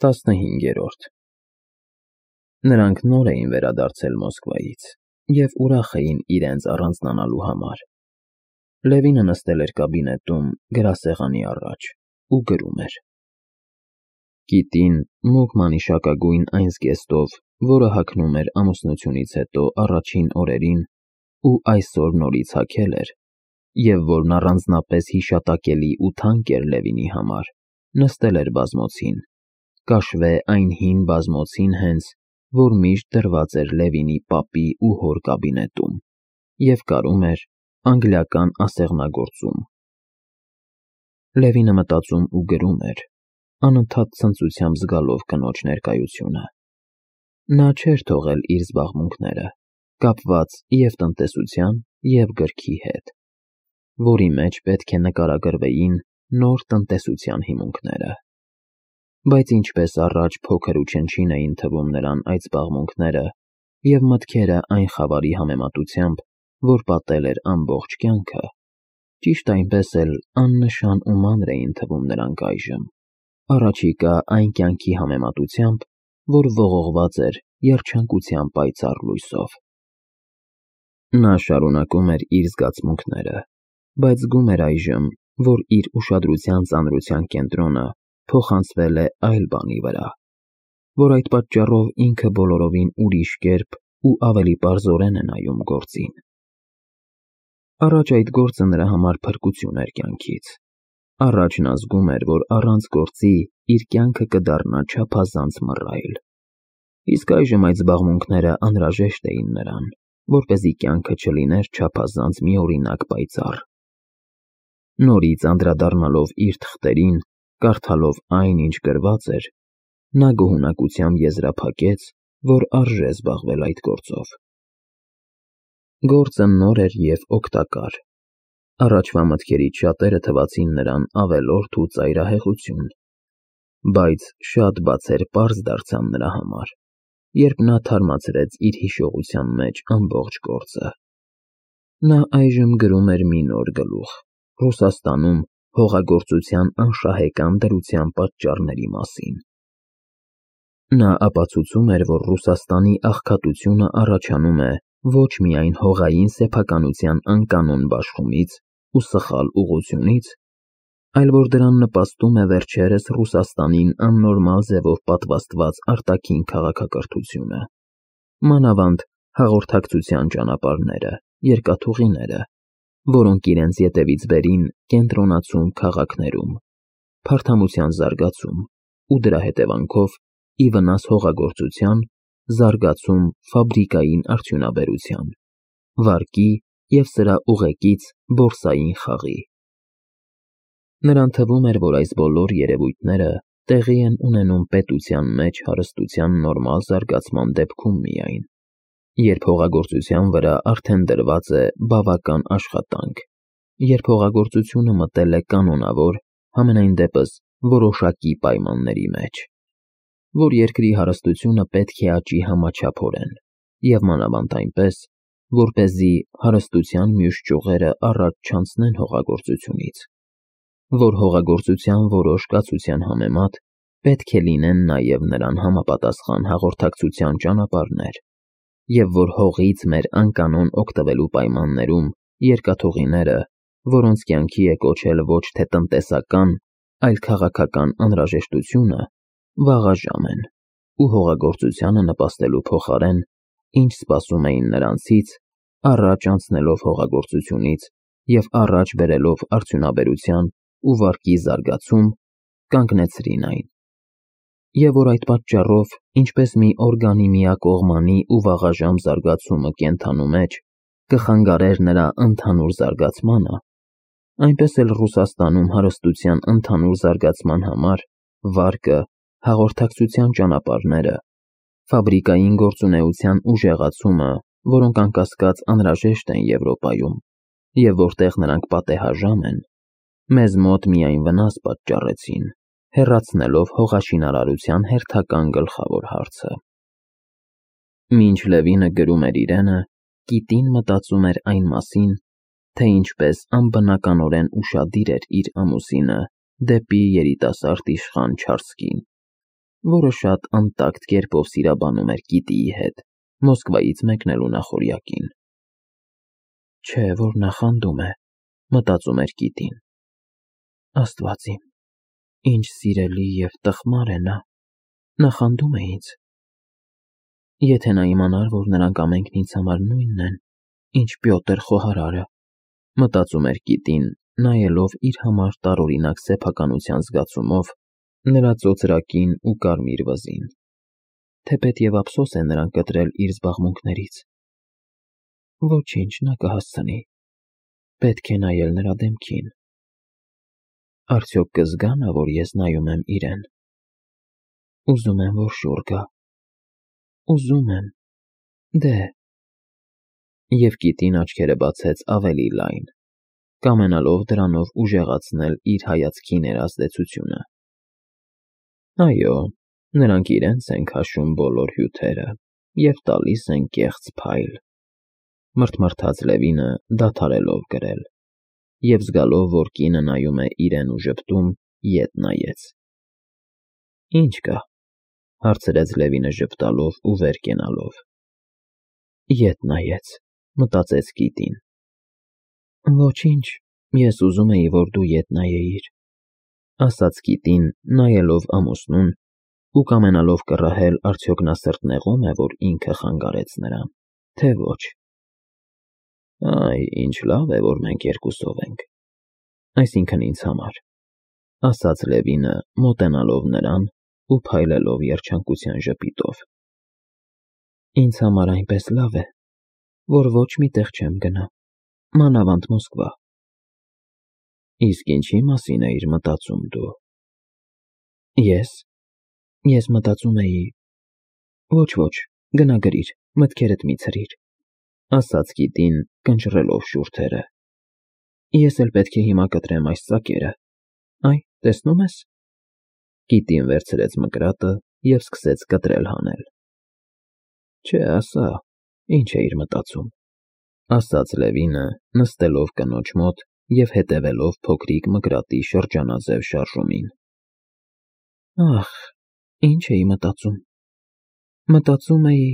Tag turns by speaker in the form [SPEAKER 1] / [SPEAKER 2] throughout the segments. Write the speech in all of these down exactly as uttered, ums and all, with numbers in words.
[SPEAKER 1] տասնհինգերորդ Նրանք նոր էին վերադարձել Մոսկվայից և ուրախ էին իրենց առանձնանալու համար։ Լևինը նստել էր կաբինետում գրասեղանի առաջ ու գրում էր. Կիտին մուգ մանիշակագույն այն զգեստով, որը հագնում էր ամուսնությունից հետո առաջին օրերին ու այսօր նորից հագել էր, և որն առանձնապես հիշատակելի ու թանկ էր Լևինի համար, նստել էր բազմոցին, կաշվե այն հին բազմոցին հենց, որ միշտ դրված էր Լևինի պապի ու հոր կաբինետում, և կարում էր անգլիական ասեղնագործում։ Լևինը մտածում ու գրում էր, անընդհատ ցնծությամբ զգալով կնոջ ներկայությունը։ Նա չէր թողել իր զբաղմունքները, կապված և տնտեսության, և գրքի հետ, որի մեջ պետք է նկարագրվեին նոր տնտեսության հիմունքները։ Բայց ինչպես առաջ փոքր ու չնչին էին թվում նրան այդ զբաղմունքները և մտքերը այն խավարի համեմատությամբ, որ պատել էր ամբողջ կյանքը, ճիշտ այնպես էլ աննշան ու մանր էին թվում նրանք այժմ, առաջիկա այն կյանքի համեմատությամբ, որ ողողված էր երջանկության պայծառ լույսով։ Նա շարունակում էր իր զգացմունքները, բայց զգում էր այժմ, որ իր ուշադրության ծանրության կենտրոնը փոխանցվել է այլ բանի վրա, որ այդ պատճառով ինքը բոլորովին ուրիշ կերպ ու ավելի պարզորեն է նայում գործին։ Առաջ այդ գործը նրա համար փրկություն էր կյանքից։ Առաջ նա զգում էր, որ առանց գործի իր կյանքը կդառնա չափազանց մռայլ, իսկ այժմ այդ զբաղմունքները անհրաժեշտ էին նրան, որպեսզի կյանքը չլիներ չափազանց միօրինակ պայծառ։ Նորից անդրադառնալով իր թղթերին, կարդալով այն, ինչ գրված էր, նա գոհունակությամբ եզրափակեց, որ արժե զբաղվել այդ գործով։ Գործը նոր էր և օգտակար։ Առաջվա մտքերից շատերը թվացին նրան ավելորդ ու ծայրահեղություն, բայց շատ բացեր պարզ դարձան նրա համար, երբ նա թարմացրեց իր հիշողության մեջ ամբողջ գործը։ Նա այժմ գրում էր մի նոր գլուխ Ռուսաստանում հողագործության անշահեկան դրության պատճառների մասին։ Նա ապացուցում էր, որ Ռուսաստանի աղքատությունը առաջանում է ոչ միայն հողային սեփականության անկանոն բաշխումից ու սխալ ուղղությունից, այլ որ դրան նպաստում է վերջերս Ռուսաստանին աննորմալ ձևով պատվաստված արտաքին քաղաքակրթությունը, մանավանդ հաղորդակցության ճանապարհները, երկաթուղիները, որոնք իրենց ետևից բերին կենտրոնացում քաղաքներում, փարթամության զարգացում ու դրա հետևանքով ի վնաս հողագործության զարգացում ֆաբրիկային արդյունաբերության, վարկի և սրա ուղեկից բորսային խաղի։ Նրան թվում էր, որ այս բոլոր երևույթները տեղի են ունենում պետության մեջ հարստության նորմալ զարգացման դեպքում միայն, երբ հողագործության վրա արդեն դրված է բավական աշխատանք, երբ հողագործությունը մտել է կանոնավոր, համենայն դեպս որոշակի պայմանների մեջ, որ երկրի հարստությունը պետք է աճի համաչափորեն և մանավանդ այնպես, որպեսզի հարստության մյուս ճյուղերը առաջ չանցնեն հողագործությունից, որ հողագործության որոշ կացության համեմատ պետք է լինեն նաև նրան համապատասխան հաղորդակցության ճանապարհներ, և որ հողից մեր անկանոն օգտվելու պայմաններում երկաթուղիները, որոնց կյանքի է կոչել ոչ թե տնտեսական, այլ քաղաքական անհրաժեշտությունը, վաղաժամ են ու հողագործությանը նպաստելու փոխարեն, ինչ սպասում էին նրանցից, առաջ անցնելով հողագործությունից և առաջ բերելով արդյունաբերության ու վարկի զարգացում, կանգնեցրին այն, և որ այդ պատճառով, ինչպես մի օրգանի միակողմանի ու վաղաժամ զարգացումը կենդանու մեջ կխանգարեր նրա ընդհանուր զարգացմանը, այնպես էլ Ռուսաստանում հարստության ընդհանուր զարգացման համար վարկը, հաղորդակցության ճանապարհները, ֆաբրիկային գործունեության ուժեղացումը, որոնք անկասկած անհրաժեշտ են Եվրոպայում, և որտեղ նրանք պատեհաժամ են, մեզ մոտ միայն վնաս պատճառեցին, հեռացնելով հողաշինարարության հերթական գլխավոր հարցը։ Մինչ Լևինը գրում էր իրենը, կիտին մտածում էր այն մասին, թե ինչպես անբնականորեն ուշադիր էր իր ամուսինը դեպի երիտասարդ իշխան Չարսկին, որը շատ անտակտ կերպով սիրաբանում էր Կիտիի հետ Մոսկվայից մեկնելու նախօրյակին։ Չէ, որ նախանդում է, մտածում էր Կիտին։ Աստված իմ, ինչ սիրելի և տխմար է նա, նախանդում է ինձ։ Եթե նա իմանար, որ նրանք ամենքն ինձ համար նույնն են, ինչ Պյոտր խոհարարը, մտածում էր Կիտին, նայելով իր համար տարօրինակ սեփականության զգացումով նրա ծոծրակին ու կարմիր վզին, թեպետև ափսոս է նրան կտրել իր զբաղմունքներից։ Ոչինչ, նա կհասցնի, պետք է նայել նրա դեմքին։ Արդյոք կզգա նա, որ ես նայում եմ իրեն։ Ուզում եմ, որ շուռ գա։ Ուզում եմ, դե… Եվ Կիտին աչքերը բացեց ավելի լայն, կամենալով դրանով ուժեղացնել իր հայացքի ներազդեցությունը։ Այո, նրանք իրենց են քաշում բոլոր հյութերը և տալիս են կեղծ փայլ, մռթմռթաց Լևինը դադարելով գրել, և զգալով, որ կինը նայում է իրեն ու ժպտում, ետ նայեց։ Ինչ կա, հարցրեց Լևինը ժպտալով ու վեր կենալով։ Ետ նայեց, մտածեց Կիտին։ Ոչինչ, ես ուզում էի, որ դու ետ նայեիր, ասաց Կիտին, նայելով ամուսնուն ու կամենալով կռահել, արդյոք նա սրտնեղո՞մ է, որ ինքը խանգարեց նրան, թե ոչ։ Այ, ինչ լավ է, որ մենք երկուսով ենք, այսինքն ինձ համար, ասաց Լևինը, մոտենալով նրան ու փայլելով երջանկության ժպիտով։ Ինձ համար այնպես լավ է, որ ոչ մի տեղ չեմ գնա, մանավանդ Մոսկվա։ Իսկ ինչի մասին էիր մտածում դու։ Ես… ես մտածում էի… Ոչ, ոչ, գնա գրիր, մտքերդ մի ցրիր, ասաց Կիտին, կնճռելով շուրթերը։ Ես էլ պետք է հիմա կտրեմ այս ծակերը, այ, տեսնում ես։ Կիտին վերցրեց մկրատը և սկսեց կտրել հանել։ Չէ, ասա, ինչ էիր մտածում, ասաց Լևինը, նստելով կնոջ մոտ և հետևելով փոքրիկ մկրատի շրջանաձև շարժումին։ Ախ, ինչ էի մտածում… Մտածում էի…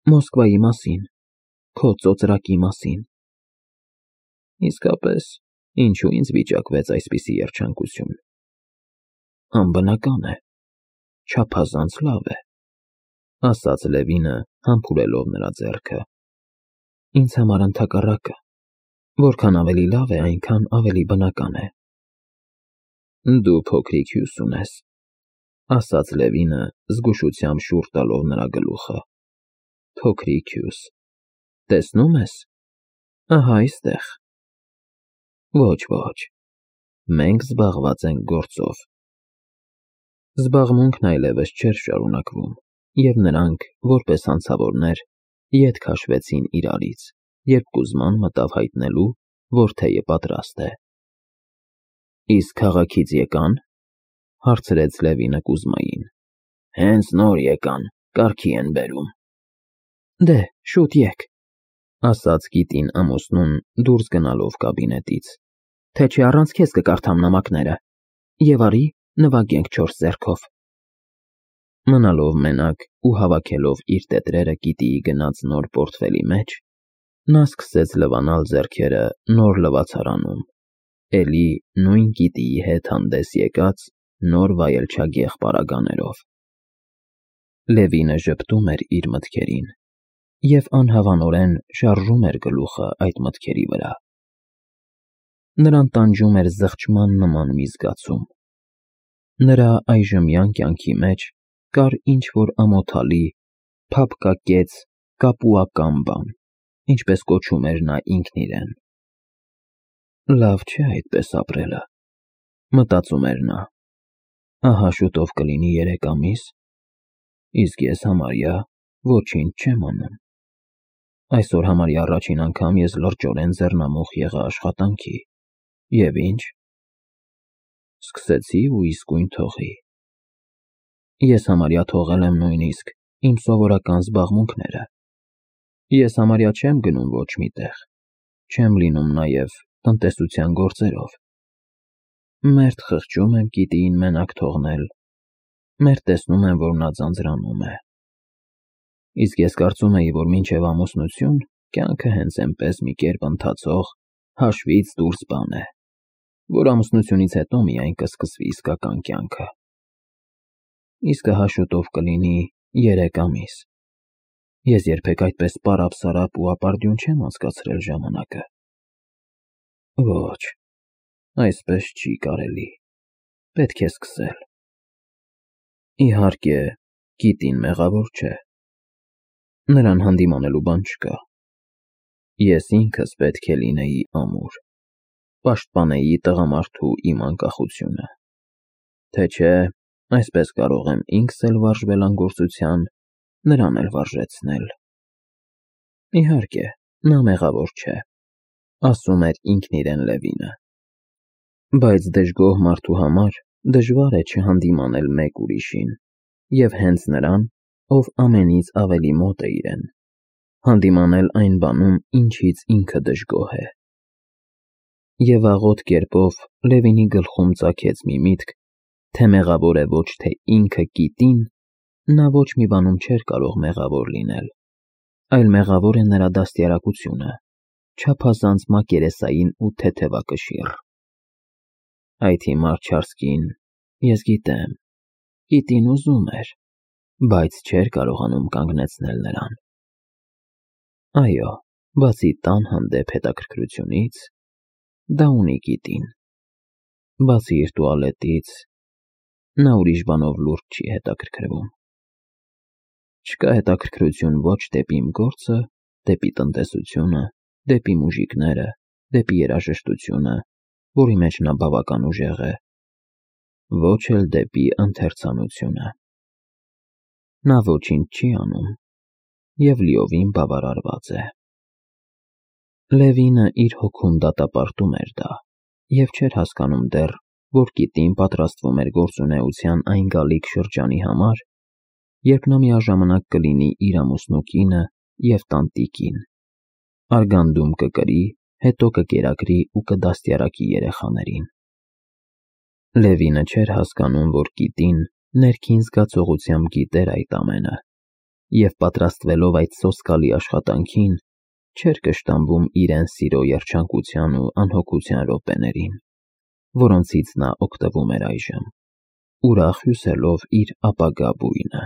[SPEAKER 1] Մոսկվայի մասին, քո ծոծրակի մասին։ Իսկապես, ինչու ինձ վիճակվեց այսպիսի երջանկություն։ Անբնական է, չափազանց լավ է, ասաց Լևինը, համբուրելով նրա ձեռքը։ Ինձ համար ընդհակառակը, որքան ավելի լավ է, այնքան ավելի բնական է։ Դու փոքրիկ հյուս ունես, ասաց Լևինը, զգուշությամբ շուռ տալով նրա գլուխը։ Փոքրիկ հյուս, տեսնում ես, ահա այստեղ։ Ոչ, ոչ, մենք զբաղված ենք գործով։ Զբաղմունքն այլևս չէր շարունակվում, և նրանք, որպես հանցավորներ, ետ քաշվեցին իրարից, երբ Կուզման մտավ հայտնելու, որ թեյը պատրաստ է։ Իսկ քաղաքից եկա՞ն, հարցրեց Լևինը Կուզմային։ Հենց նոր եկան, կարգի են բերում։ Դե, շուտ եկ, ասաց Կիտին ամուսնուն, դուրս գնալով կաբինետից, թե չէ առանց քեզ կկարդամ նամակները, և արի նվագենք չորս ձեռքով։ Մնալով մենակ ու հավաքելով իր տետրերը Կիտիի գնած նոր պորտֆելի մեջ, նա սկսեց լվանալ ձեռքերը նոր լվացարանում, էլի նույն Կիտիի հետ հանդես եկած նոր վայելչագեղ պարագաներով։ Լևինը ժպտում էր իր մտքերին և անհավանորեն շարժում էր գլուխը այդ մտքերի վրա։ Նրան տանջում էր զղջման նման մի զգացում։ Նրա այժմյան կյանքի մեջ կար ինչ-որ ամոթալի, փափկակեց, կապուական բան, ինչպես կոչում էր նա ինքն իրեն։ Լավ չէ այդպես ապրելը, մտածում էր նա։ Ահա շուտով կլինի երեք ամիս, իսկ ես համարյա ոչինչ չեմ անում։ Այսօր համարյա առաջին անգամ ես լրջորեն ձեռնամուխ եղա աշխատանքի, և ինչ… Սկսեցի ու իսկույն թողի։ Ես համարյա թողել եմ նույնիսկ իմ սովորական զբաղմունքները։ Ես համարյա չեմ գնում ոչ մի տեղ, չեմ լինում նաև տնտեսության գործերով։ Մերթ խղճում եմ Կիտիին մենակ թողնել, մեր տեսնում եմ, որ նա ձանձրանում է։ Իսկ ես կարծում էի, որ մինչև ամուսնություն կյանքը հենց այնպես մի կերպ ընթացող հաշվից դուրս բան է, որ ամուսնությունից հետո միայն կսկսվի իսկական կյանքը։ Իսկը հաշուտով կլինի երեք ամիս։ Ես երբեք այդպես պարապ-սարապ ու ապարդյուն չեմ անցկացրել ժամանակը։ Ոչ, այսպես չի կարելի, պետք է սկսել։ Իհարկե, Կիտին մեղավոր չէ։ Նրան հանդիմանելու բան չկա։ Ես ինքս պետք է լինեի ամուր, պաշտպանեի տղամարդու իմ անկախությունը։ Թե չէ, այսպես կարող եմ ինքս էլ վարժվել անգործության, նրան էլ վարժեցնել։ Իհարկե, նա մեղավոր չէ, ասում էր ինքն իրեն Լևինը։ Բայց դժգոհ մարդու համար դժվար է չհանդիմանել մեկ ուրիշին, և հենց նրան, ով ամենից ավելի մոտ է իրեն, հանդիմանել այն բանում, ինչից ինքը դժգոհ է։ Եվ աղոտ կերպով Լևինի գլխում ծագեց մի միտք, թե մեղավոր է ոչ թե ինքը Կիտին, նա ոչ մի բանում չէր կարող մեղավոր լինել, այլ մեղավոր է նրա դաստիարակությունը, չափազանց մակերեսային ու թեթևակշիռ։ Այդ հիմար չարսկին, ես գիտեմ, Կիտին ուզում էր, բայց չէր կարողանում կանգնեցնել նրան։ Այո, բացի տան հանդեպ հետաքրքրությունից, դա ունի Կիտին։ Բացի իր տուալետից, նա ուրիշ բանով լուրջ չի հետաքրքրվում։ Չկա հետաքրքրություն ոչ դեպի իմ գործը, դեպի տնտեսությունը, դեպի մուժիկները, դեպի երաժշտությունը, որի մեջ նա բավական ուժեղ է, ոչ էլ դեպի ընթերցանությունը։ Նա ոչինչ չի անում և լիովին բավարարված է։ Լևինը իր հոգում դատապարտում էր դա և չէր հասկանում դեռ, որ Կիտին պատրաստվում էր գործունեության այն գալիք շրջանի համար, երբ նա միաժամանակ կլինի իր ամուսնու կինը և տանտիկին, արգանդում կկրի, հետո կկերակրի ու կդաստիարակի երեխաներին։ Լևինը չէր հասկանում, որ Կիտին ներքին զգացողությամբ գիտեր այդ ամենը և պատրաստվելով այդ սոսկալի աշխատանքին, չէր կշտամբում իրեն սիրո երջանկության ու անհոգության րոպեներին, որոնցից նա օգտվում էր այժմ, ուրախ հյուսելով իր ապագա բույնը։